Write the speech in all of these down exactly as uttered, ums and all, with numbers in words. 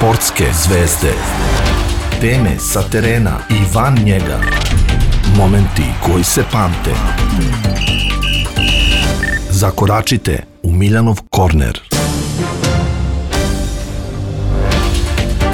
Sportske zvezde. Teme sa terena i van njega. Momenti koji se pamte. Zakoračite u Miljanov korner.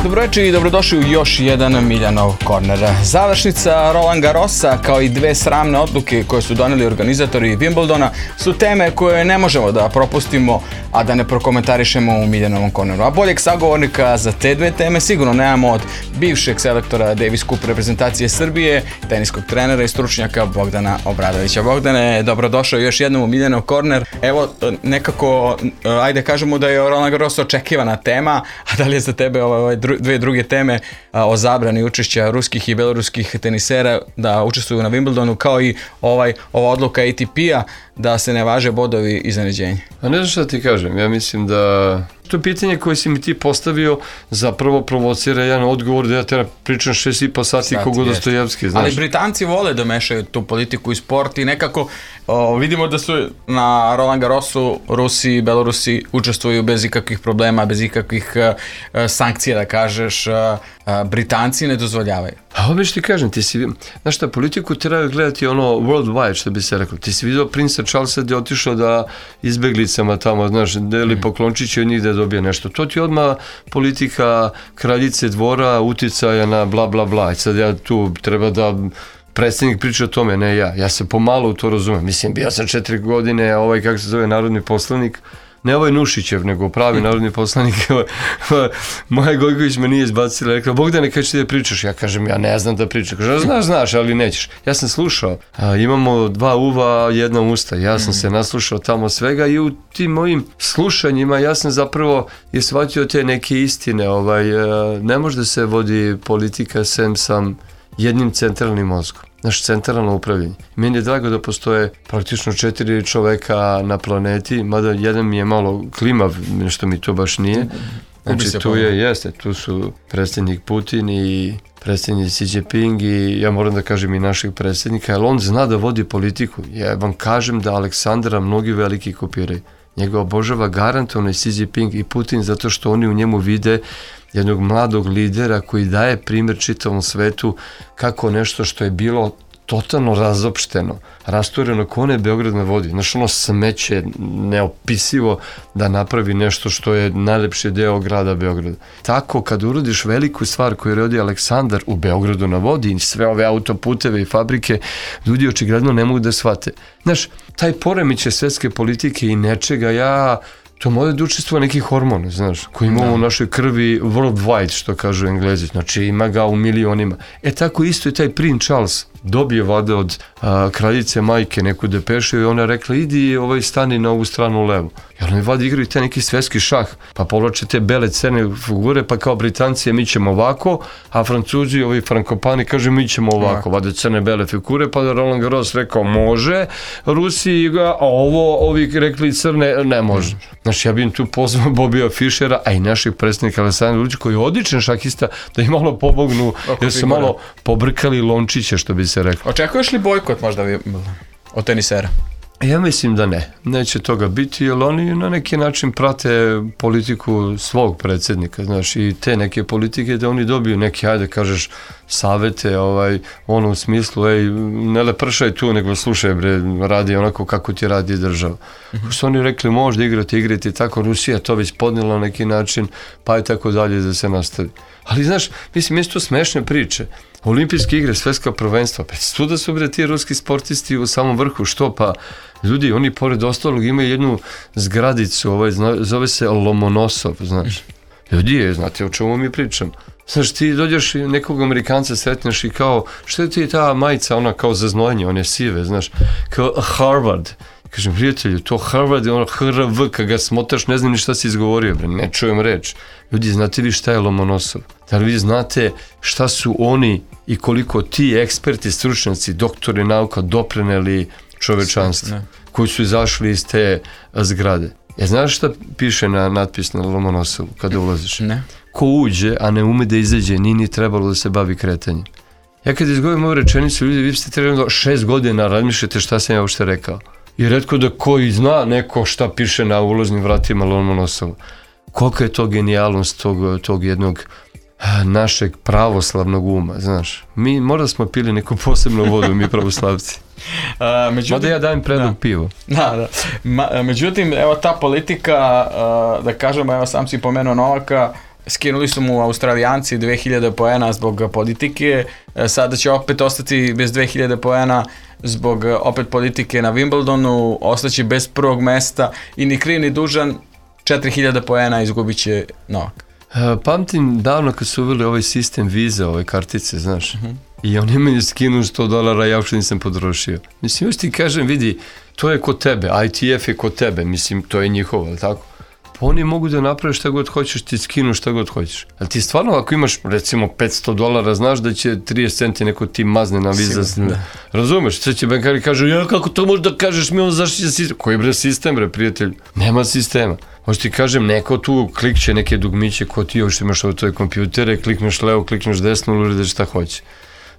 Dobroveče i dobrodošli u još jedan Miljanov korner. Završnica Roland Garrosa kao i dve sramne odluke koje su doneli organizatori Wimbledona su teme koje ne možemo da propustimo, a da ne prokomentarišemo u Miljanovom korneru. A boljeg sagovornika za te dve teme sigurno nemamo od bivšeg selektora Davis Cup reprezentacije Srbije, teniskog trenera i stručnjaka Bogdana Obradovića. Bogdane, dobrodošao još jednom u Miljanov korner. Evo, nekako, ajde kažemo da je Roland Garros očekivana tema, a da li je za tebe ovaj dru, dve druge teme a, o zabrani učešća ruskih i beloruskih tenisera da učestvuju na Wimbledonu, kao i ovaj ova odluka A T P-a da se ne važe bodovi iznenađenja? A ne znam šta ti kažem, ja mislim da to pitanje koje si mi ti postavio zapravo provocira jedan odgovor da ja treba pričam šest i po sati Sati, kogo Dostojevski, znaš. Ali Britanci vole da mešaju tu politiku i sport i nekako o, vidimo da su na Roland Garrosu Rusi i Belorusi učestvuju bez ikakvih problema, bez ikakvih uh, sankcija, da kažeš, uh, uh, Britanci ne dozvoljavaju. A ovo ti kažem, ti si, znaš šta, politiku treba gledati ono worldwide, što bi se rekao. Ti si vidio princa Charlesa gdje je otišao da izbeglicama tamo, znaš, deli mm. poklončiće od njih da dobije nešto. To ti odmah politika kraljice dvora, uticaja na bla bla bla. I sad ja tu treba da predsjednik priča o tome, ne ja. Ja se pomalo u to razumem. Mislim, bio sam četiri godine, ovaj, kako se zove, narodni poslanik, ne ovaj Nušićev, nego pravi narodni poslanik. Maja Gojković me nije izbacila, rekla, Bogdane, kada ćeš ti da pričaš? Ja kažem, ja ne znam da pričam. Kaže, znaš, znaš, ali nećeš. Ja sam slušao, a, imamo dva uva, jedna usta. Ja sam mm. se naslušao tamo svega i u tim mojim slušanjima ja sam zapravo je shvatio te neke istine. Ovaj, ne može da se vodi politika sem sam jednim centralnim mozgom. Naš centralno upravljanje. Meni je drago da postoje praktično četiri čoveka na planeti, mada jedan mi je malo klimav, nešto mi to baš nije. Znači tu je, jeste, tu su predsjednik Putin i predsjednik Xi Jinping i ja moram da kažem i našeg predsjednika, jer on zna da vodi politiku. Ja vam kažem da Aleksandra mnogi veliki kopiraju. Njega obožava garantovno i Xi Jinping i Putin zato što oni u njemu vide jednog mladog lidera koji daje primjer čitavom svetu kako nešto što je bilo totalno razopšteno, rastureno, ko ne Beograd ne vodi. Znaš, ono smeće neopisivo da napravi nešto što je najlepši deo grada Beograda. Tako, kad urodiš veliku stvar koju rodi Aleksandar u Beogradu na vodi i sve ove autoputeve i fabrike, ljudi očigledno ne mogu da shvate. Znaš, taj poremećaj svetske politike i nečega, ja to može da učestvuje neki hormon, znaš, koji imamo u našoj krvi worldwide, što kažu Englezi, znači ima ga u milionima. E tako isto je taj princ Charles dobije vade od a, kraljice majke neku depešu i ona je rekla, idi ovaj stani na ovu stranu levu. I oni vadi igraju taj neki svetski šah, pa povlače te bele crne figure, pa kao Britanci mi ćemo ovako, a Francuzi, ovi frankopani, kaže mi ćemo ovako, vade crne bele figure, pa da Roland Garros rekao može, Rusi, a ovo, ovi rekli crne, ne može. Znači ja bih tu pozvao Bobija Fischera, a i naših predsjednika Aleksandra Vučića, koji je odličan šahista, da ih malo pomognu, jer su malo pobrkali lončiće, što bi se rekao. Očekuješ li bojkot možda od tenisera? Ja mislim da ne. Neće toga biti, jer oni na neki način prate politiku svog predsjednika, znaš, i te neke politike da oni dobiju neke, ajde kažeš, savete, ovaj, ono u smislu, ej, ne lepršaj tu, nego slušaj, bre, radi onako kako ti radi država. Mm-hmm. Što oni rekli, možda igrati, igrati, tako, Rusija to već podnijela na neki način, pa je tako dalje da se nastavi. Ali, znaš, mislim, jesu to smešne priče. Olimpijske igre, svetska prvenstva, pa tu da su bre ti ruski sportisti u samom vrhu, što pa ljudi, oni pored ostalog imaju jednu zgradicu, ovaj, zove se Lomonosov, znaš. Ljudi je, znate o čemu mi pričam. Znaš, ti dođeš i nekog Amerikanca sretneš i kao, što je ti ta majica, ona kao za znojenje, one sive, znaš, kao Harvard. Kažem, prijatelju, to Harvard je ono H R V, kad ga smotaš, ne znam ni šta si izgovorio, bre, ne čujem reč. Ljudi, znate vi šta je Lomonosov? Da li vi znate šta su oni i koliko ti eksperti, stručnjaci, doktori nauka doprineli čovečanstvu, koji su izašli iz te zgrade? E, znaš šta piše na natpis na Lomonosovu kada ulaziš? Ne. Ko uđe, a ne ume da izađe, nije ni trebalo da se bavi kretanjem. Ja kad izgovorim ovu rečenicu, ljudi, vi ste trebali da šest godina razmišljate šta sam ja uopšte rekao. I retko da koji zna neko šta piše na ulaznim vratima Lomonosova. Kolika je to genijalnost tog, tog jednog našeg pravoslavnog uma, znaš. Mi možda smo pili neku posebnu vodu, mi pravoslavci. Uh, međutim, Mada ja dajem predlog da. pivo. Da, da. Ma, međutim, evo ta politika, uh, da kažemo, evo sam si pomenuo Novaka, skinuli su mu Australijanci dve hiljade poena zbog politike, sada će opet ostati bez dve hiljade poena zbog opet politike na Wimbledonu, ostaće bez prvog mesta i ni kriv ni dužan, četiri hiljade poena izgubit će Novak. Pamtim davno kad su uveli ovaj sistem viza, ove kartice, znaš, uh-huh. i on je meni skinuo sto dolara, ja uopšte nisam potrošio. Mislim, još ti kažem, vidi, to je kod tebe, I T F je kod tebe, mislim, to je njihovo, ali tako? Pa oni mogu da naprave šta god hoćeš, ti skinu šta god hoćeš. Ali ti stvarno, ako imaš, recimo, petsto dolara, znaš da će trideset centi neko ti mazne na viza. Sigur, razumeš? Sve će bankari kažu, ja, kako to možeš da kažeš, mi on zaštića sistem. Koji bre sistem, bre, prijatelj? Nema sistema. Možda ti kažem, neko tu klikće neke dugmiće, ko ti još imaš ovo tvoje kompjutere, klikneš levo, klikneš desno, uradeš šta hoće.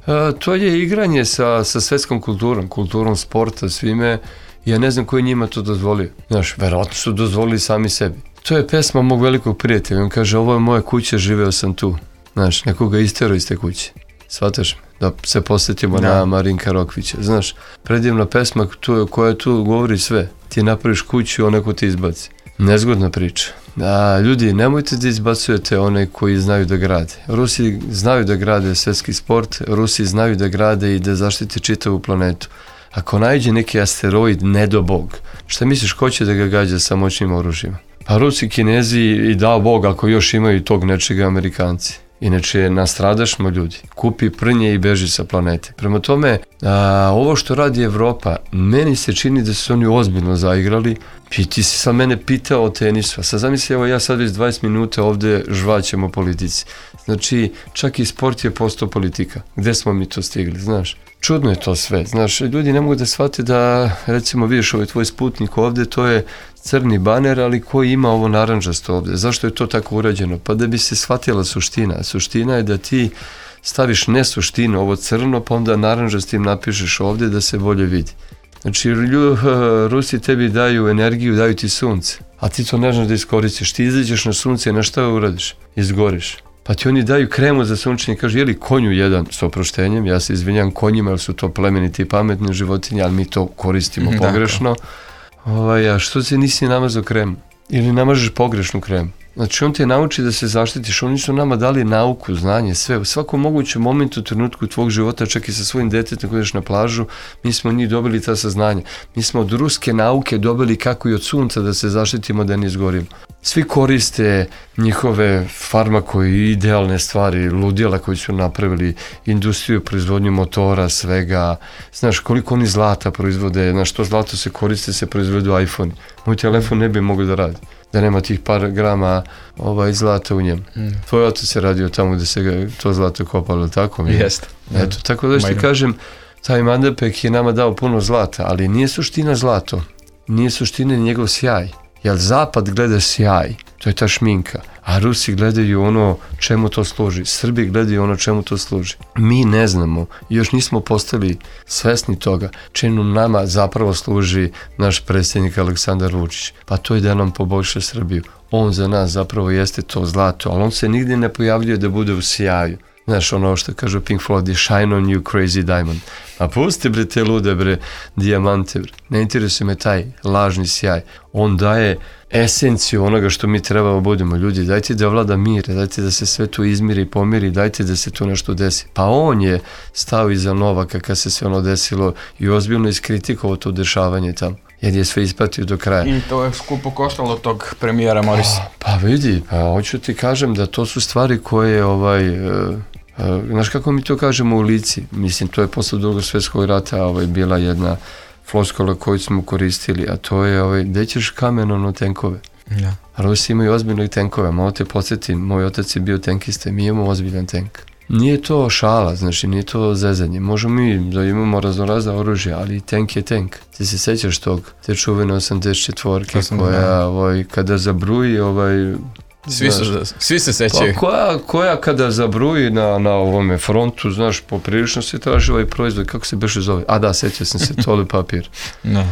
A, to je igranje sa, sa svetskom kulturom, kulturom sporta, svime. Ja ne znam ko je njima to dozvolio. Znaš, verovatno su dozvolili sami sebi. To je pesma mog velikog prijatelja. On kaže, ovo je moja kuća, živeo sam tu. Znaš, nekoga isterao iz te kuće. Shvataš me? Da se posjetimo da. na Marinka Rokvića. Znaš, predivna pesma tu, koja tu govori sve. Ti napraviš kuću, onaj ko ti izbaci. Nezgodna priča. A, ljudi, nemojte da izbacujete one koji znaju da grade. Rusi znaju da grade svetski sport, Rusi znaju da grade i da zaštite čitavu planetu. Ako najde neki asteroid, ne do Bog, šta misliš, ko će da ga gađa sa moćnim oružjima? Pa Rusi, Kinezi i dao Bog, ako još imaju tog nečega, Amerikanci. Inače, nastradašmo ljudi. Kupi prnje i beži sa planete. Prema tome, a, ovo što radi Evropa, meni se čini da su oni ozbiljno zaigrali. I ti si sa mene pitao o tenisu. A sad zamisli, evo ja sad već dvadeset minuta ovde žvaćem o politici. Znači, čak i sport je postao politika. Gde smo mi to stigli, znaš? Čudno je to sve. Znaš, ljudi ne mogu da shvate da, recimo, vidiš ovaj tvoj Sputnik ovde, to je crni baner, ali koji ima ovo naranđasto ovde. Zašto je to tako urađeno? Pa da bi se shvatila suština. Suština je da ti staviš ne suštinu, ovo crno, pa onda naranđastim napišeš ovde da se bolje vidi. Znači, lju, Rusi tebi daju energiju, daju ti sunce, a ti to ne znaš da iskoristiš. Ti izađeš na sunce i na šta uradiš? Izgoriš. Pa ti oni daju kremu za sunčanje i kažu, jeli konju jedan s oproštenjem, ja se izvinjam konjima, jer su to plemeniti i pametni životinje, ali mi to koristimo pogrešno. Ovaj, a što se nisi namazao kremu? Ili namažeš pogrešnu kremu? Znači, on te nauči da se zaštitiš, oni su nama dali nauku, znanje, sve. U svakom mogućem momentu, trenutku tvog života, čak i sa svojim detetom koji ideš na plažu, mi smo od njih dobili ta saznanja. Mi smo od ruske nauke dobili kako i od sunca da se zaštitimo da ne izgorimo. Svi koriste njihove farmako i idealne stvari, ludila koji su napravili, industriju, proizvodnju motora, svega. Znaš, koliko oni zlata proizvode, znaš, to zlato se koriste, se proizvedu iPhone. Moj telefon ne bi mogao da radi, da nema tih par grama ovaj, zlata u njemu. Mm. Tvoj otac se radio tamo gde se ga, to zlato kopalo, tako mi? Jeste. Eto, tako da što ti kažem, taj Mandepek je nama dao puno zlata, ali nije suština zlato, nije suština njegov sjaj. Jer zapad gleda sjaj, to je ta šminka, a Rusi gledaju ono čemu to služi, Srbi gledaju ono čemu to služi. Mi ne znamo, još nismo postali svesni toga čemu nama zapravo služi naš predsjednik Aleksandar Vučić. Pa to je da nam poboljša Srbiju. On za nas zapravo jeste to zlato, ali on se nigdje ne pojavljuje da bude u sjaju. Znaš, ono što kažu Pink Floyd, shine on you crazy diamond. A pusti bre te lude bre, dijamante bre. Ne interesuje me taj lažni sjaj. On daje esenciju onoga što mi trebamo budemo. Ljudi, dajte da vlada mir, dajte da se sve to izmiri i pomiri, dajte da se tu nešto desi. Pa on je stao iza Novaka kad se sve ono desilo i ozbiljno iskritikovao to dešavanje tamo. Jer je sve ispratio do kraja. I to je skupo koštalo tog premijera Morisa. Pa, pa vidi, pa hoću ti kažem da to su stvari koje ovaj... Uh, Uh, znaš kako mi to kažemo u lici? Mislim, to je posle drugog svjetskog rata ovaj, bila jedna floskola koju smo koristili, a to je, ovaj, gde ćeš kamenom na tenkove? Ja. Rusi imaju ozbiljne tenkove, malo te podsjetim, moj otac je bio tenkista, mi imamo ozbiljan tenk. Nije to šala, znači nije to zezanje. Možemo mi da imamo raznorazna oružja, ali tank je tank. Ti se sećaš tog, te čuvene osamdeset četvorke koja, ovaj, kada zabruji, ovaj, Svi, su, svi se sećaju. Pa koja, koja kada zabruji na, na ovome frontu, znaš, poprilično se traži ovaj proizvod, kako se beše zove? A da, sećao sam se, toli papir. No.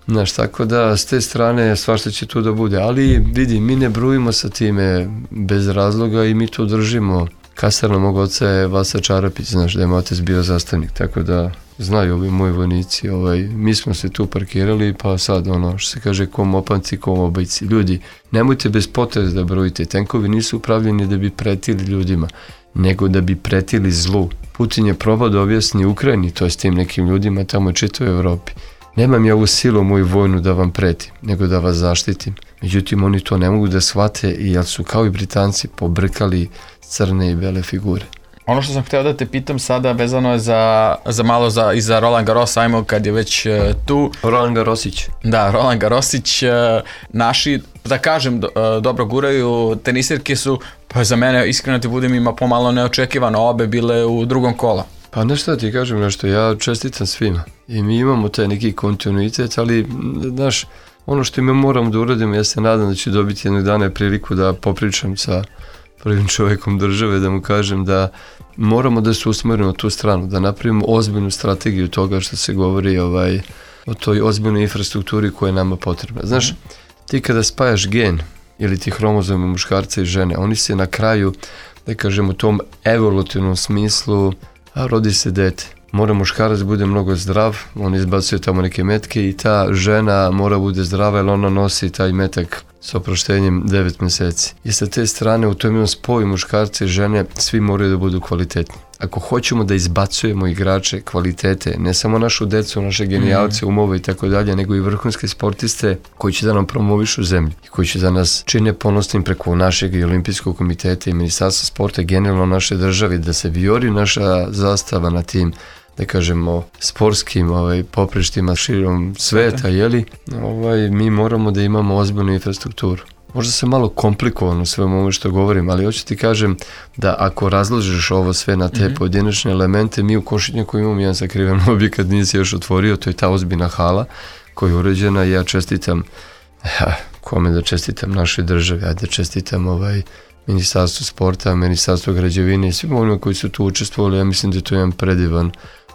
Znaš, tako da s te strane svašta će tu da bude, ali vidi, mi ne brujimo sa time bez razloga i mi to držimo. Kasarna mog oca je Vasa Čarapić, znaš da je moj otac bio zastavnik, tako da znaju ovi moji vojnici, ovaj, mi smo se tu parkirali, pa sad ono što se kaže kom opanci, kom obajci. Ljudi, nemojte bez potrebe da brojite, tenkovi nisu upravljeni da bi pretili ljudima, nego da bi pretili zlu. Putin je probao da objasni Ukrajini, to je s tim nekim ljudima tamo čitao u Evropi. Nemam ja ovu silu moju vojnu da vam pretim, nego da vas zaštitim. Međutim, oni to ne mogu da shvate jer su kao i Britanci pobrkali crne i bele figure. Ono što sam hteo da te pitam sada vezano je za, za malo za, i za Roland Garros, ajmo kad je već uh, tu. Roland Garrosić. Da, Roland Garrosić, uh, naši, da kažem, do, uh, dobro guraju, tenisirke su, pa za mene, iskreno ti budem, ima pomalo neočekivano, obe bile u drugom kola. Pa nešto ti kažem nešto, ja čestitam svima i mi imamo taj neki kontinuitet, ali znaš, ono što mi moramo da uradimo, ja se nadam da ću dobiti jednog dana priliku da popričam sa prvim čovjekom države, da mu kažem da moramo da se usmerimo tu stranu, da napravimo ozbiljnu strategiju toga što se govori ovaj, o toj ozbiljnoj infrastrukturi koja je nama potrebna. Znaš, ti kada spajaš gen ili ti hromozome muškarca i žene, oni se na kraju, da kažem u tom evolutivnom smislu, a rodi se dete. Mora muškarac bude mnogo zdrav, on izbacuje tamo neke metke i ta žena mora bude zdrava jer ona nosi taj metak s oproštenjem devet mjeseci. I sa te strane u tom jednom spoju muškarca i žene svi moraju da budu kvalitetni. Ako hoćemo da izbacujemo igrače kvalitete, ne samo našu decu, naše genijalce, umove i tako dalje, nego i vrhunske sportiste koji će da nam promovišu zemlju i koji će da nas čine ponosnim preko našeg i olimpijskog komiteta i ministarstva sporta, generalno naše države, da se vijori naša zastava na tim, da kažemo, sportskim ovaj, poprištima širom sveta, jeli, ovaj, mi moramo da imamo ozbiljnu infrastrukturu. Možda se malo komplikovano sve ovo što govorim, ali hoću ti kažem da ako razložiš ovo sve na te mm-hmm. pojedinačne elemente, mi u Košutnjaku imamo jedan sakriven objekat, nije se još otvorio, to je ta ozbiljna hala koja je uređena i ja čestitam, ja, kome da čestitam našoj državi, ajde da čestitam ovaj Ministarstvo sporta, Ministarstvo građevine i svima onima koji su tu učestvovali, ja mislim da je to jedan predivan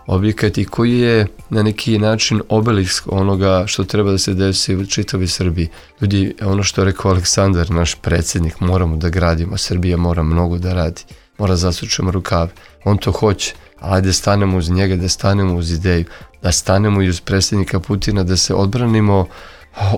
objekat i koji je na neki način obelisk onoga što treba da se desi u čitavoj Srbiji. Ljudi, ono što je rekao Aleksandar, naš predsjednik, moramo da gradimo, Srbija mora mnogo da radi, mora zasučemo rukave, on to hoće, ali da stanemo uz njega, da stanemo uz ideju, da stanemo i uz predsjednika Putina, da se odbranimo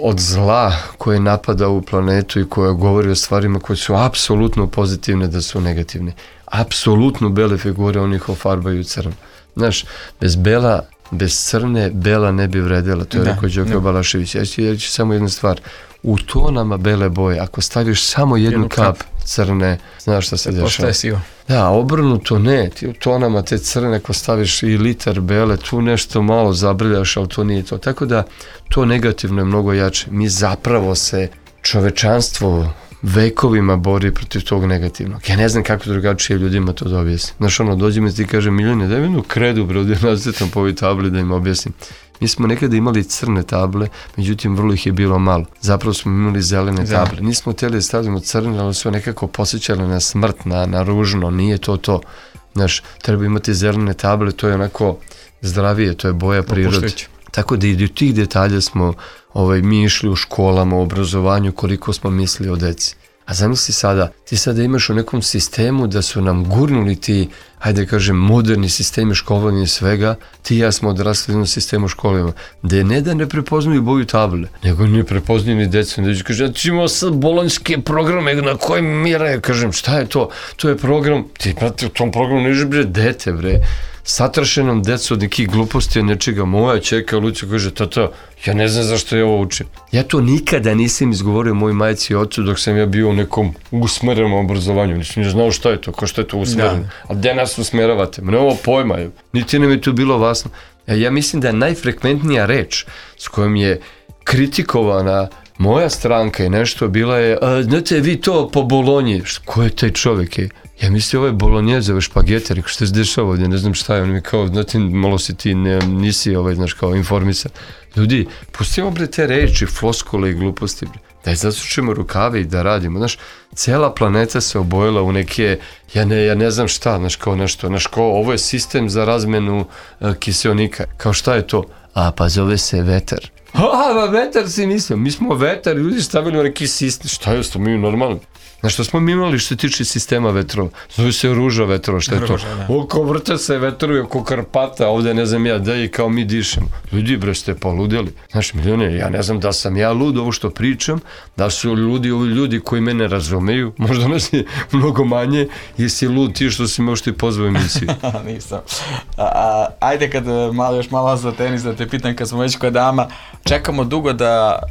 od zla koje napada u planetu i koja govori o stvarima koje su apsolutno pozitivne da su negativne. Apsolutno bele figure onih ofarbaju crno. Znaš, bez bela, bez crne, bela ne bi vredela, to je da, rekao Đoko Balašević. Ja ću reći samo jednu stvar, u tonama bele boje, ako staviš samo jednu, jednu kap, kap crne, znaš šta se dešava. Da, obrnuto ne, ti u tonama te crne, ako staviš i litar bele, tu nešto malo zabrljaš, ali to nije to. Tako da, to negativno je mnogo jače. Mi zapravo se, čovečanstvo, vekovima bori protiv tog negativnog. Ja ne znam kako drugačije ljudima to da objasnim. Znaš, ono, dođem i ti kažem, Miljane, daj mi jednu kredu, bro, da nacetam po ovoj tabli da im objasnim. Mi smo nekada imali crne table, međutim, vrlo ih je bilo malo. Zapravo smo imali zelene Zem. table. Nismo htjeli da stavimo crne, ali su nekako posjećali na smrt, na, na ružno, nije to to. Znaš, treba imati zelene table, to je onako zdravije, to je boja prirode. Tako da i do tih detalja smo ovaj, mi išli u školama, u obrazovanju, koliko smo mislili o deci. A zamisli sada, ti sada imaš u nekom sistemu da su nam gurnuli ti, hajde kažem, moderni sistemi školovanja i svega, ti i ja smo odrasli u jednom sistemu školovanja, gde ne da ne prepoznaju boju table, nego ne prepoznaju ni decu, ne kaže, ja ću imao sad bolonjske programe na kojim mi re, kažem, šta je to? To je program, ti prati u tom programu ne bre dete, bre, satrašenom decu od nekih gluposti, nečega. Moja čeka Lucija kaže, tata, ja ne znam zašto ja ovo učim. Ja to nikada nisam izgovorio mojoj majci i ocu dok sam ja bio u nekom usmerenom obrazovanju. Nisam ne znao šta je to, kao što je to usmereno. Da. A gde nas usmeravate? Mne ovo pojma, niti nam je to bilo vasno. Ja mislim da je najfrekventnija reč s kojom je kritikovana moja stranka i nešto bila je, a, znate vi to po Bolonji. Ko je taj čovjek? Je? Ja mislim, ovo je bolonjezove špagete, rekao, što se dešava ovdje, ne znam šta je, on mi kao, znate, malo si ti, ne, nisi, ovaj, znaš, kao informisan. Ljudi, pustimo bre te reči, floskule i gluposti, bre. Daj zasučimo rukave i da radimo, znaš, cijela planeta se obojila u neke, ja ne, ja ne znam šta, znaš, kao nešto, znaš, kao, ovo je sistem za razmenu uh, kiseonika, kao šta je to? A, pa zove se vetar. A, vetar si mislio, mi smo vetar, ljudi stavili u neki sistem, šta je to, mi normalno. Znaš što smo mi imali što se tiče sistema vetrova? Zove se ruža vetrova, šta je to? Ruža, da. Oko vrta se vetrovi, oko Karpata, ovde ne znam ja, da i kao mi dišemo. Ljudi bre, ste poludeli. Znaš, milijone, ja ne znam da sam ja lud ovo što pričam, da su ljudi, ovi ljudi koji mene razumeju, možda nas je mnogo manje, jesi lud ti što si me uopšte pozvao emisiju. Nisam. A, a, ajde kad malo, još malo za tenis da te pitam, kad smo već kod dama, čekamo dugo da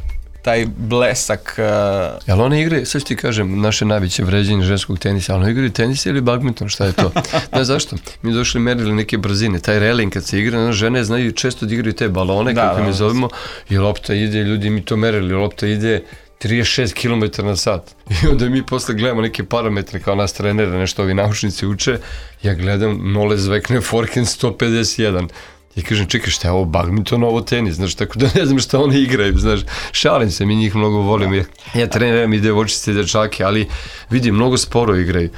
taj blesak... Uh... Jel one igre, sad ću ti kažem, naše najveće vređenje ženskog tenisa, ali one igraju tenis ili badminton, šta je to? Ne, zašto? Mi došli merili neke brzine, taj reling kad se igra, žene znaju često da igraju te balone, da, kako da, mi zovemo, i lopta ide, ljudi mi to merili, lopta ide trideset šest kilometara na sat. I onda mi posle gledamo neke parametre kao nas trenere, nešto ovi naučnici uče, ja gledam nole zvekne forehand sto pedeset jedan. I kažem, čekaj, šta je ovo badminton, ovo tenis, znaš, tako da ne znam šta oni igraju, znaš, šalim se, mi njih mnogo volim, ja, ja treniram i devojčice i dečake, ali vidim, mnogo sporo igraju.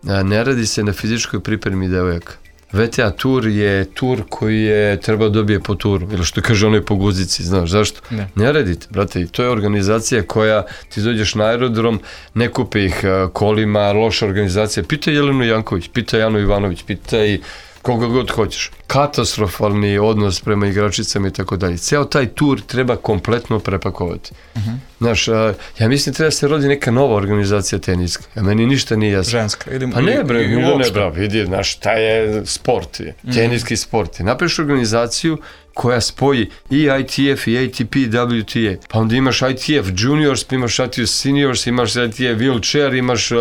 Ne radi se na fizičkoj pripremi devojaka. V T A tur je tur koji je treba dobije po turu, ili što kaže onoj po guzici, znaš, zašto? Ne, ne radite, brate, to je organizacija koja, ti dođeš na aerodrom, ne kupe ih kolima, loša organizacija, pitaj Jelenu Janković, pitaj Janu Ivanović, pitaj koga god hoćeš. Katastrofalni odnos prema igračicama i tako dalje. Ceo taj tur treba kompletno prepakovati. Uh-huh. Znaš, a, ja mislim treba se rodi neka nova organizacija teniska. A meni ništa nije jasno. Ženska. Idem, pa ne bre, ne bre, vidi, znaš, šta je sport, je, uh-huh. teniski sport. Napraviš organizaciju koja spoji i I T F i A T P, W T A. Pa onda imaš I T F juniors, pa imaš I T F seniors, imaš I T F wheelchair, imaš... Uh,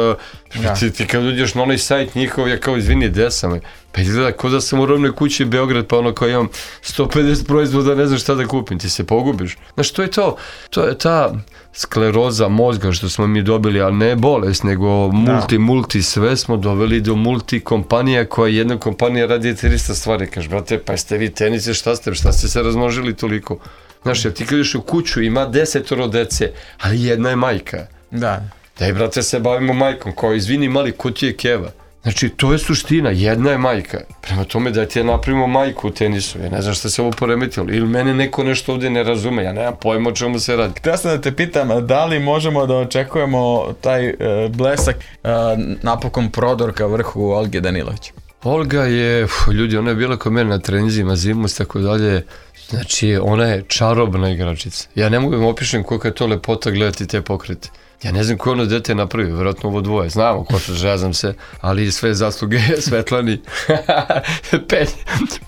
ja. ti, ti kad uđeš na onaj sajt njihov, ja kao izvini, desam. Pa izgleda kao da sam u rovnoj kući Beograd, pa ono kao imam sto pedeset proizvoda, ne znam šta da kupim, ti se pogubiš. Znaš, to je to, to je ta skleroza mozga što smo mi dobili, ali ne bolest, nego multi, da. multi, sve smo doveli do multi kompanija koja jedna kompanija radi trista stvari. Kažeš, brate, pa jeste vi tenise, šta ste, šta ste se razmnožili toliko? Znaš, ja ti kad ideš u kuću, ima desetoro dece, ali jedna je majka. Da. Daj, brate, se bavimo majkom, kao izvini mali, ko ti je keva? Znači, to je suština, jedna je majka. Prema tome da ti je napravimo majku u tenisu. Ja ne znam šta se ovo poremetilo. Ili mene neko nešto ovdje ne razume. Ja nemam pojma o čemu se radi. Htio sam da te pitam, da li možemo da očekujemo taj uh, blesak uh, napokon prodor ka vrhu Olge Danilović? Olga je, uf, ljudi, ona je bila kod mene na trenizima, zimus, tako dalje. Znači, ona je čarobna igračica. Ja ne mogu da im opišem koliko je to lepota gledati te pokrete. Ja ne znam ko ono dete napravio, vjerojatno ovo dvoje, znamo ko se, žezam se, ali sve zasluge Svetlani. Pelj,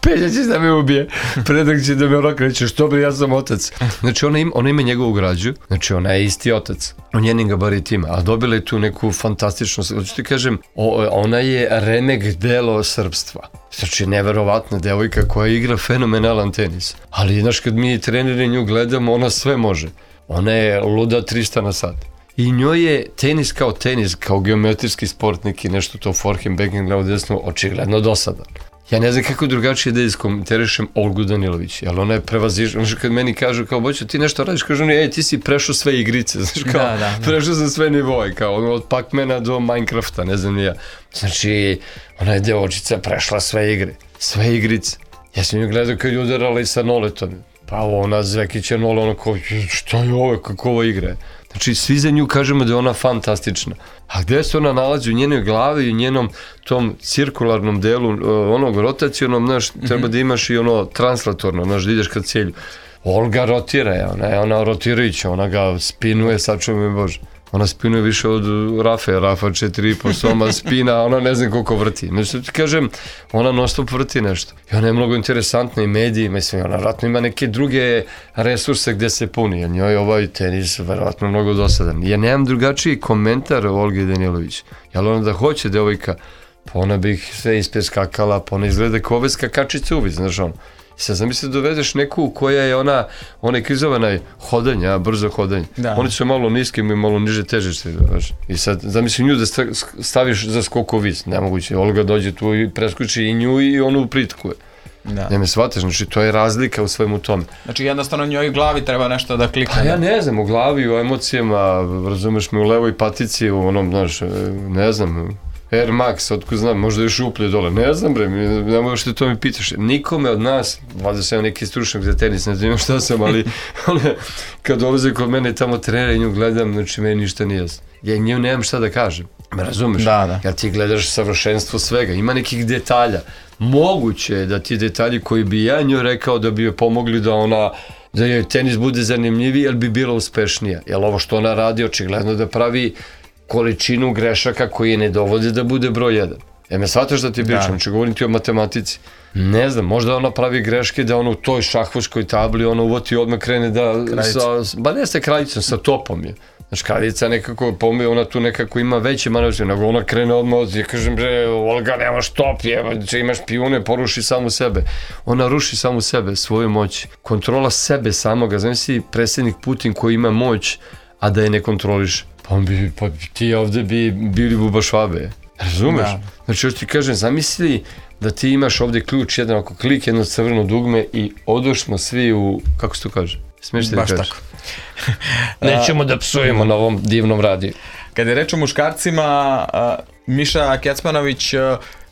Pelja će da me ubije, predak će da me okreće, što bi, ja sam otac. Znači ona ima, ona ima njegovu građu, znači ona je isti otac, u njenim gabaritima, a dobila je tu neku fantastičnu, hoću ti kažem, o, ona je remek delo srpstva. Znači, neverovatna devojka koja igra fenomenalan tenis, ali znaš, kad mi treneri nju gledamo, ona sve može. Ona je luda trista na sat. I njoj je tenis kao tenis, kao geometrijski sport, neki nešto to forehand, backhand, levo, desno, očigledno dosadan. Ja ne znam kako drugačije da iskomentarišem Olgu Danilović, jer ona je prevazišla, znači kad meni kažu kao, Boćo, ti nešto radiš, kažu oni, ej, ti si prešao sve igrice, znaš kao, da, da, da. prešao sam sve nivoje, kao ono, od Pac-Mana do Minecrafta, ne znam ni ja. Znači, ona je devojčica prešla sve igre, sve igrice. Ja sam nju gledao kad je udarala i sa noletom, pa ona Zvekića nole, ono kao, šta je ovo, kako ovo igra? Znači, svi za nju kažemo da je ona fantastična. A gde se ona nalazi? U njenoj glavi i u njenom tom cirkularnom delu, onog rotacionom, znaš, mm-hmm. treba da imaš i ono translatorno, znaš, da ideš ka cilju. Olga rotira je, ona je ona rotirajuća, ona ga spinuje, sačuvaj me Bože. Ona spinuje više od Rafe, Rafa četiri i po soma spina, ona ne znam koliko vrti. Znači, ti kažem, ona non stop vrti nešto. I ona je mnogo interesantna i mediji, mislim, ona vratno ima neke druge resurse gde se puni, jer njoj ovaj tenis verovatno mnogo dosadan. Ja nemam drugačiji komentar o Olgi Danilović, jer ona da hoće devojka, pa ona bi ih sve ispeskakala, pa ona izgleda kao ove skakačice uvid, znaš ono. I sad zamisli da dovedeš neku koja je ona, onaj krizovanaj hodanja, brzo hodanje. Da. Oni su malo niski i malo niže težište. I sad zamisli nju da staviš za skoko vis, nemoguće. Olga dođe tu i preskoči i nju i onu pritkuje. Da. Ne me shvataš, znači to je razlika u svemu tome. Znači jednostavno njoj u glavi treba nešto da klikne. Pa ja ne znam, u glavi, u emocijama, razumeš me, u levoj patici, u onom, znaš, ne znam, Air Max, otko znam, možda još uplje dole, ne znam bre, ne možeš te to mi pitaš. Nikome od nas, valjda sam neki stručnjak za tenis, ne znam šta sam, ali one, kad dolaze kod mene tamo trenera i nju gledam, znači meni ništa nije jasno. Ja nju nemam šta da kažem, me razumeš? Da, da. Jer ti gledaš savršenstvo svega, ima nekih detalja. Moguće je da ti detalji koji bi ja nju rekao da bi joj pomogli da ona, da joj tenis bude zanimljiviji, ali bi bila uspešnija. Jer ovo što ona radi, očigledno da pravi količinu grešaka koji je ne dovode da bude broj jedan. E me shvataš da ti pričam, znači govorim ti o matematici. Ne znam, možda ona pravi greške da ono u toj šahvuškoj tabli ona uvoti odmah krene da... Sa, ba ne ste kraljicom, sa topom je. Znači kraljica nekako, pomije, ona tu nekako ima veće manevre, nego ona krene odmah, ja kažem bre, Olga nemaš top, je, imaš pijune, poruši samu sebe. Ona ruši samu sebe, svoju moć. Kontrola sebe samoga, znam si predsjednik Putin koji ima moć, a da je ne kontroliš. Pa, on bi, pa ti ovde bi bili bubašvabe, razumeš? Da. Znači još ti kažem, zamisli da ti imaš ovde ključ, jedan oko klik, jedno crveno dugme i odošmo svi u, kako se to kaže? Smiješ ti da kažeš? Baš tako. Nećemo da psujemo na ovom divnom radiju. Kada je reč o muškarcima, Miša Kecmanović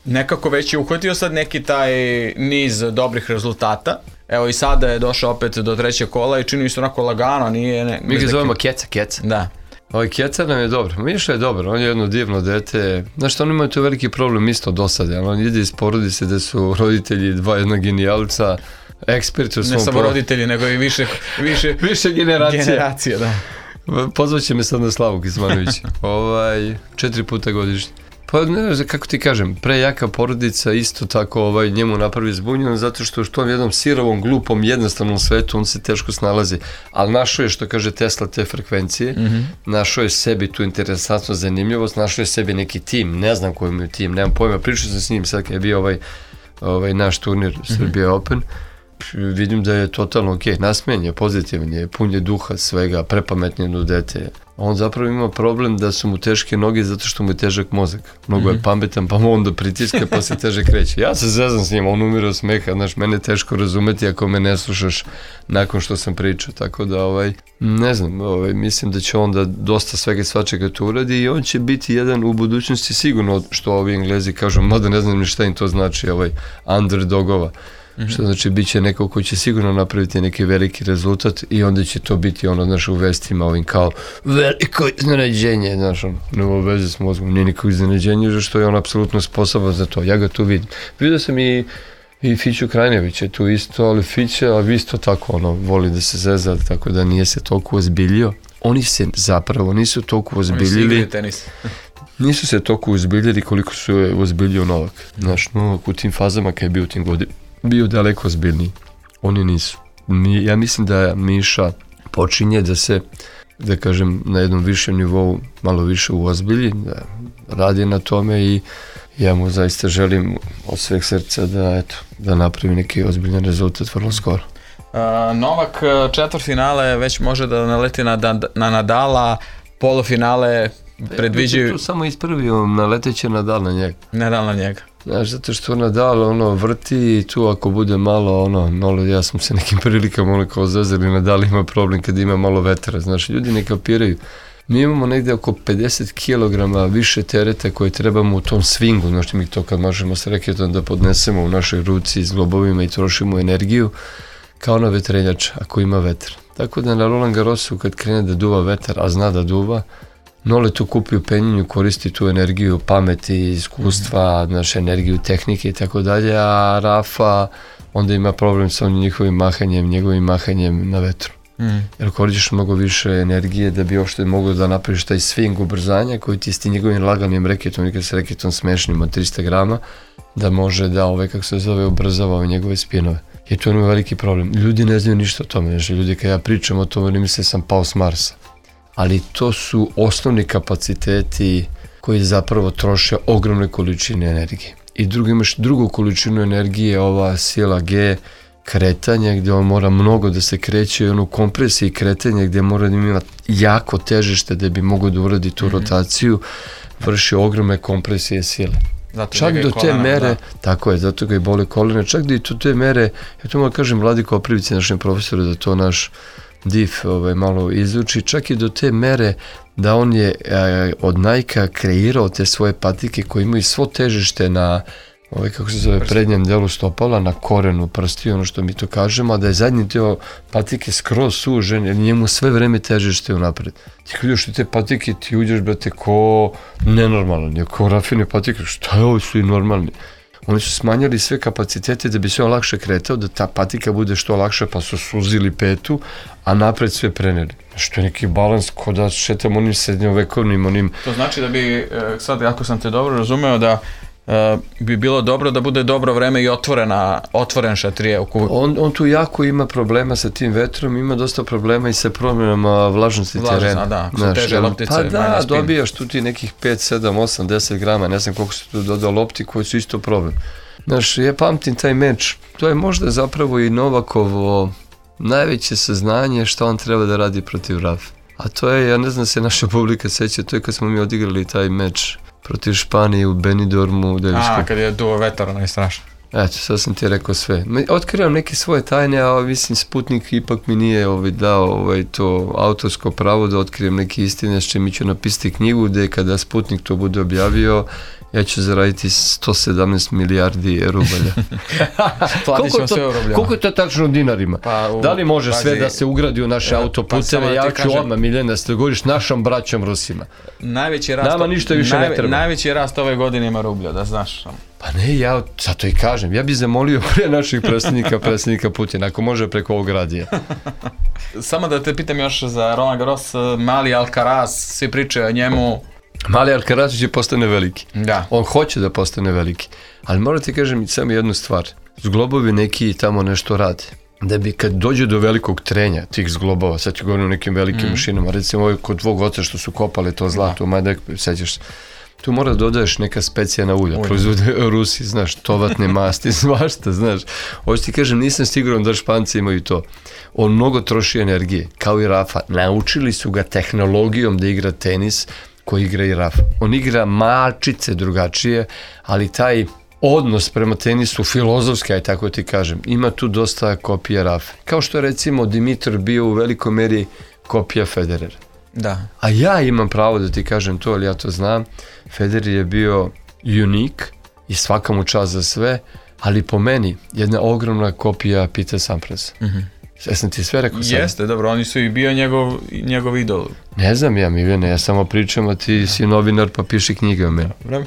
nekako već je uhvatio sad neki taj niz dobrih rezultata. Evo i sada je došao opet do trećeg kola i čini mi se onako lagano, nije... Ne, mi ga zovemo Keca, Keca. Da. Ovaj Keca nam je dobro, Miša je dobro, on je jedno divno dete, znaš što on ima tu veliki problem isto do sada, on ide iz porodice gde su roditelji dva jedna genijalca, eksperti u svom... Ne samo pro... roditelji, nego i više, više, više generacije. generacije, da. Pozvaće me sad na Slavu Kecmanović, ovaj, četiri puta godišnje. Pa ne znam kako ti kažem, prejaka porodica isto tako ovaj, njemu napravi zbunjeno zato što u tom jednom sirovom, glupom, jednostavnom svetu on se teško snalazi, ali našao je što kaže Tesla te frekvencije, mm-hmm. našao je sebi tu interesantnu zanimljivost, našao je sebi neki tim, ne znam koji mu je tim, nemam pojma, pričao sam s njim sad kad je bio ovaj, ovaj naš turnir mm-hmm. Srbija Open, vidim da je totalno ok, nasmijen je, pozitivan je, pun je duha svega, prepametnije do dete. On zapravo ima problem da su mu teške noge zato što mu je težak mozak. Mnogo je pametan, pa mu onda pritiska pa se teže kreće. Ja se zezam s njim, on umire od smeha, znaš, mene je teško razumeti ako me ne slušaš nakon što sam pričao, tako da ovaj, ne znam, ovaj, mislim da će on da dosta svega svačega to uradi i on će biti jedan u budućnosti sigurno, što ovi Englezi kažu, mada ne znam ni šta im to znači, ovaj, underdogova. Mm-hmm. Što znači bit će neko koji će sigurno napraviti neki veliki rezultat i onda će to biti ono, znaš, u vestima ovim kao veliko iznenađenje, znaš, ono, nema veze s mozgom, nije nikog iznenađenje, što je on apsolutno sposoban za to, ja ga tu vidim. Vidio sam i, i Fiću Krajnević je tu isto, ali Fića, ali isto tako, ono, voli da se zeza, tako da nije se toliko ozbiljio. Oni se zapravo nisu toliko ozbiljili. Nisu se toliko ozbiljili koliko su je ozbiljio Novak. Znaš, Novak u tim fazama kad je bio u tim godinama bio daleko ozbiljniji. Oni nisu. Mi, ja mislim da Miša počinje da se, da kažem, na jednom višem nivou malo više uozbilji, da radi na tome i ja mu zaista želim od sveg srca da, eto, da napravi neki ozbiljan rezultat vrlo skoro. Uh, Novak četvrtfinale već može da naleti na, na, na Nadala, polufinale predviđaju... Tu samo ispravio, naleteće Nadal na njega. Nadal na njega. Znaš, zato što Nadal ono vrti i tu ako bude malo ono, malo, ja sam se nekim prilikama ono kao zazeli, Nadal ima problem kad ima malo vetra, znaš, ljudi ne kapiraju. Mi imamo negde oko pedeset kilograma više tereta koje trebamo u tom swingu, znaš, mi to kad možemo s reketom da podnesemo u našoj ruci s globovima i trošimo energiju, kao na vetrenjača, ako ima vetra. Tako da na Roland Garrosu kad krene da duva vetar, a zna da duva, Nole tu kupi u penjenju, koristi tu energiju pameti, iskustva, mm. naše energiju, tehnike i tako dalje, a Rafa onda ima problem sa onim njihovim mahanjem, njegovim mahanjem na vetru. Mm. Jer koristiš mnogo više energije da bi uopšte mogao da napraviš taj swing ubrzanja koji ti s tim njegovim laganim reketom, nikad s reketom smešnim od trista grama, da može da ove, kako se zove, ubrzava ove njegove spinove. I to je veliki problem. Ljudi ne znaju ništa o tome. Znači, ljudi kad ja pričam o tome, ne misle sam pao s Marsa. Ali to su osnovni kapaciteti koji zapravo troše ogromne količine energije. I drugo, imaš drugu količinu energije, ova sila G, kretanje, gdje on mora mnogo da se kreće, i ono kompresije i kretanje gdje mora da ima jako težište da bi mogao da uradi tu mm-hmm. rotaciju, vrši ogromne kompresije sile. Zato čak do te kolena, mere, da. Tako je, zato ga i boli kolena, čak do te mere, ja to moram kažem Vladi Koprivici, našem profesoru, da to naš div ovaj, malo izuči, čak i do te mere da on je e, od Nike-a kreirao te svoje patike koje imaju svo težište na ovaj, kako se zove, prednjem delu stopala, na korenu prsti, ono što mi to kažemo, a da je zadnji deo patike skroz sužen, jer njemu sve vreme težište unapred. Ti kad uđeš u te patike, ti uđeš, brate, ko nenormalan, je ko rafine patike, šta je ovo, su i normalni. Oni su smanjali sve kapacitete da bi se on lakše kretao, da ta patika bude što lakša, pa su suzili petu, a napred sve preneli. Što je neki balans, ko da šetam onim srednjovekovnim, onim... To znači da bi, sad ako sam te dobro razumeo, da Uh, bi bilo dobro da bude dobro vreme i otvorena, otvoren šatrije. On, on tu jako ima problema sa tim vetrom, ima dosta problema i sa promjenama vlažnosti Vlažnost, terena. Da, su teže loptice. Pa da, dobijaš tu ti nekih pet, sedam, osam, deset grama, ne znam koliko se tu dodao lopti koji su isto problem. Znaš, ja pamtim taj meč, to je možda zapravo i Novakovo najveće saznanje šta on treba da radi protiv Rafa. A to je, ja ne znam se naša publika seća, to je kad smo mi odigrali taj meč protiv Španije u Benidormu. A, kad je duo vetar, onaj strašno. Eto, sad sam ti rekao sve. Otkrivam neke svoje tajne, a mislim Sputnik ipak mi nije ovaj, dao ovaj, to autorsko pravo da otkrijem neke istine, s čim ću napisati knjigu, gde kada Sputnik to bude objavio, ja ću zaraditi sto sedamnaest milijardi rubalja. Platit ćemo sve u rubljama. Koliko je to tačno u dinarima? Pa, u, da li može pazi, sve da se ugradi u naše autoputeve? Pa, ja ću kažem, odmah, Miljana, da ste govoriš našom braćom Rusima. Najveći rast, nama ništa više najve, ne treba. Najveći rast ove godine ima rublja, da znaš. Pa ne, ja zato i kažem, ja bih zamolio pre naših predsjednika, predsjednika Putina, ako može preko ovog radija. Samo da te pitam još za Roland Garros, mali Alcaraz, svi pričaju o njemu. Mali Alcaraz će postane veliki. Da. On hoće da postane veliki. Ali moram ti kažem samo jednu stvar. Zglobovi neki tamo nešto rade. Da bi kad dođe do velikog trenja tih zglobova, sad ću govorim o nekim velikim mm. mašinama, recimo ovo kod tvog oca što su kopale to zlato, da. Majdek, sećaš se. Tu mora da dodaješ neka specijana ulja, ulja. Proizvode Rusi, znaš, tovatne masti, svašta, znaš. Ovo ti kažem, nisam siguran da Španci imaju to. On mnogo troši energije, kao i Rafa. Naučili su ga tehnologijom da igra tenis, koji igra i Rafa. On igra malčice drugačije, ali taj odnos prema tenisu, filozofski, aj tako ti kažem, ima tu dosta kopija Rafa. Kao što je recimo Dimitar bio u velikoj meri kopija Federera. Da. A ja imam pravo da ti kažem to, ali ja to znam. Federer je bio unik i svaka mu čast za sve, ali po meni jedna ogromna kopija Pete Samprasa. Mhm. Ja sam ti sve rekao sad. Jeste, dobro, oni su i bio njegov, njegov idol. Ne znam ja, Miljane, ja samo pričam, a ti si novinar pa piši knjige o meni. Dobro.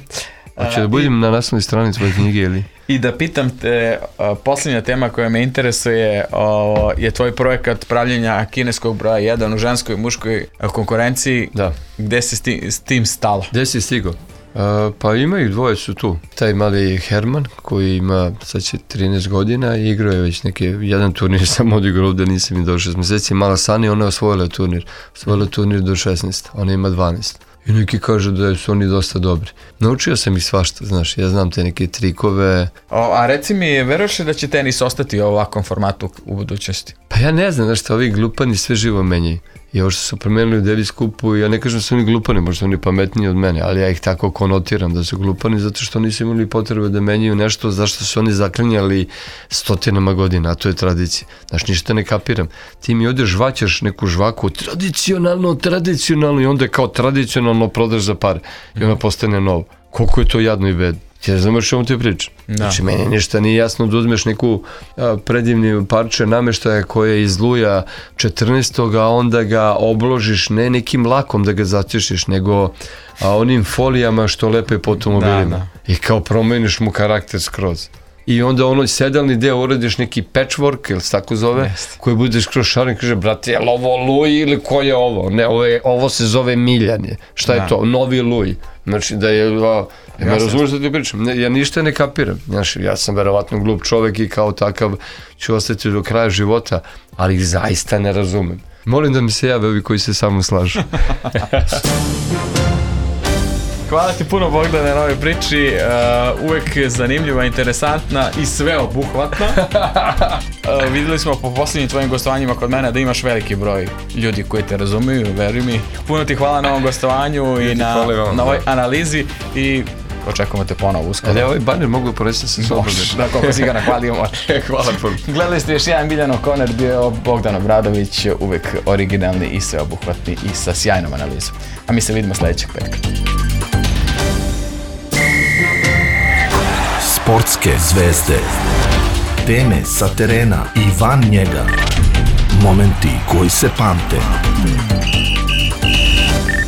Hoće da budem i na naslovnoj strani tvoje knjige ili? I da pitam te, a, posljednja tema koja me interesuje a, je tvoj projekat pravljenja kineskog broja jedan u ženskoj i muškoj konkurenciji. Da. Gde si s tim, s tim stalo? Gde si stigao? Uh, pa ima ih dvoje su tu. Taj mali Herman koji ima sad će trinaest godina i igrao je već neke, jedan turnir sam odigrao ovde, nisam im do šest meseci. Mala Sani, ona je osvojila turnir. Osvojila turnir do šesnaest, ona ima dvanaest. I neki kažu da su oni dosta dobri. Naučio sam ih svašta, znaš, ja znam te neke trikove. O, a reci mi, veruješ li da će tenis ostati u ovakvom formatu u budućnosti? Pa ja ne znam, znaš šta, ovi glupani sve živo menjaju. I ovo što su promenili u Davis Cupu, ja ne kažem da su oni glupani, možda su oni pametniji od mene, ali ja ih tako konotiram da su glupani zato što nisu imali potrebe da menjaju nešto zašto su oni zaklinjali stotinama godina, a to je tradicija. Znaš, ništa ne kapiram. Ti mi ovdje žvaćaš neku žvaku, tradicionalno, tradicionalno, i onda kao tradicionalno prodaš za pare. I ona postane novo. Koliko je to jadno i bedno. Ti ne znaš što vam ti pričam. Da. Znači, meni ništa nije jasno da uzmeš neku a, predivni parče nameštaja koja je iz luja četrnaestog a onda ga obložiš ne nekim lakom da ga zacišiš, nego a, onim folijama što lepe po automobilima. Da, da. I kao promeniš mu karakter skroz. I onda ono sedalni deo uradiš neki patchwork, ili se tako zove, Jest. koji budeš kroz šarom i kaže, brate, je li ovo luj ili ko je ovo? Ne, ovo, je, ovo se zove Miljanje. Šta da. je to? Novi luj. Znači da je... A, ja ne razumiješ da ti pričam. Ne, ja ništa ne kapiram. Znači, ja sam verovatno glup čovek i kao takav ću ostati do kraja života, ali ih zaista ne razumem. Molim da mi se jave ovi koji se sa mnom slažu. Hvala ti puno, Bogdane, na ovoj priči, uh, uvek zanimljiva, interesantna i sveobuhvatna. Uh, videli smo po posljednjim tvojim gostovanjima kod mene da imaš veliki broj ljudi koji te razumiju, veruj mi. Puno ti hvala na ovom gostovanju i na, na ovoj analizi i očekujemo te ponovo uskoro. Ali ja ovaj baner mogu poresti sa sobom. Da, koliko si ga nahvalio može. Hvala puno. Gledali ste još jedan Miljanov Corner, bio je Bogdan Obradović, uvek originalni i sveobuhvatni i sa sjajnom analizom. A mi se vidimo sljedećeg petka. Sportske zvezde. Teme sa terena i van njega. Momenti koji se pamte.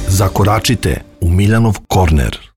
Zakoračite u Miljanov Corner.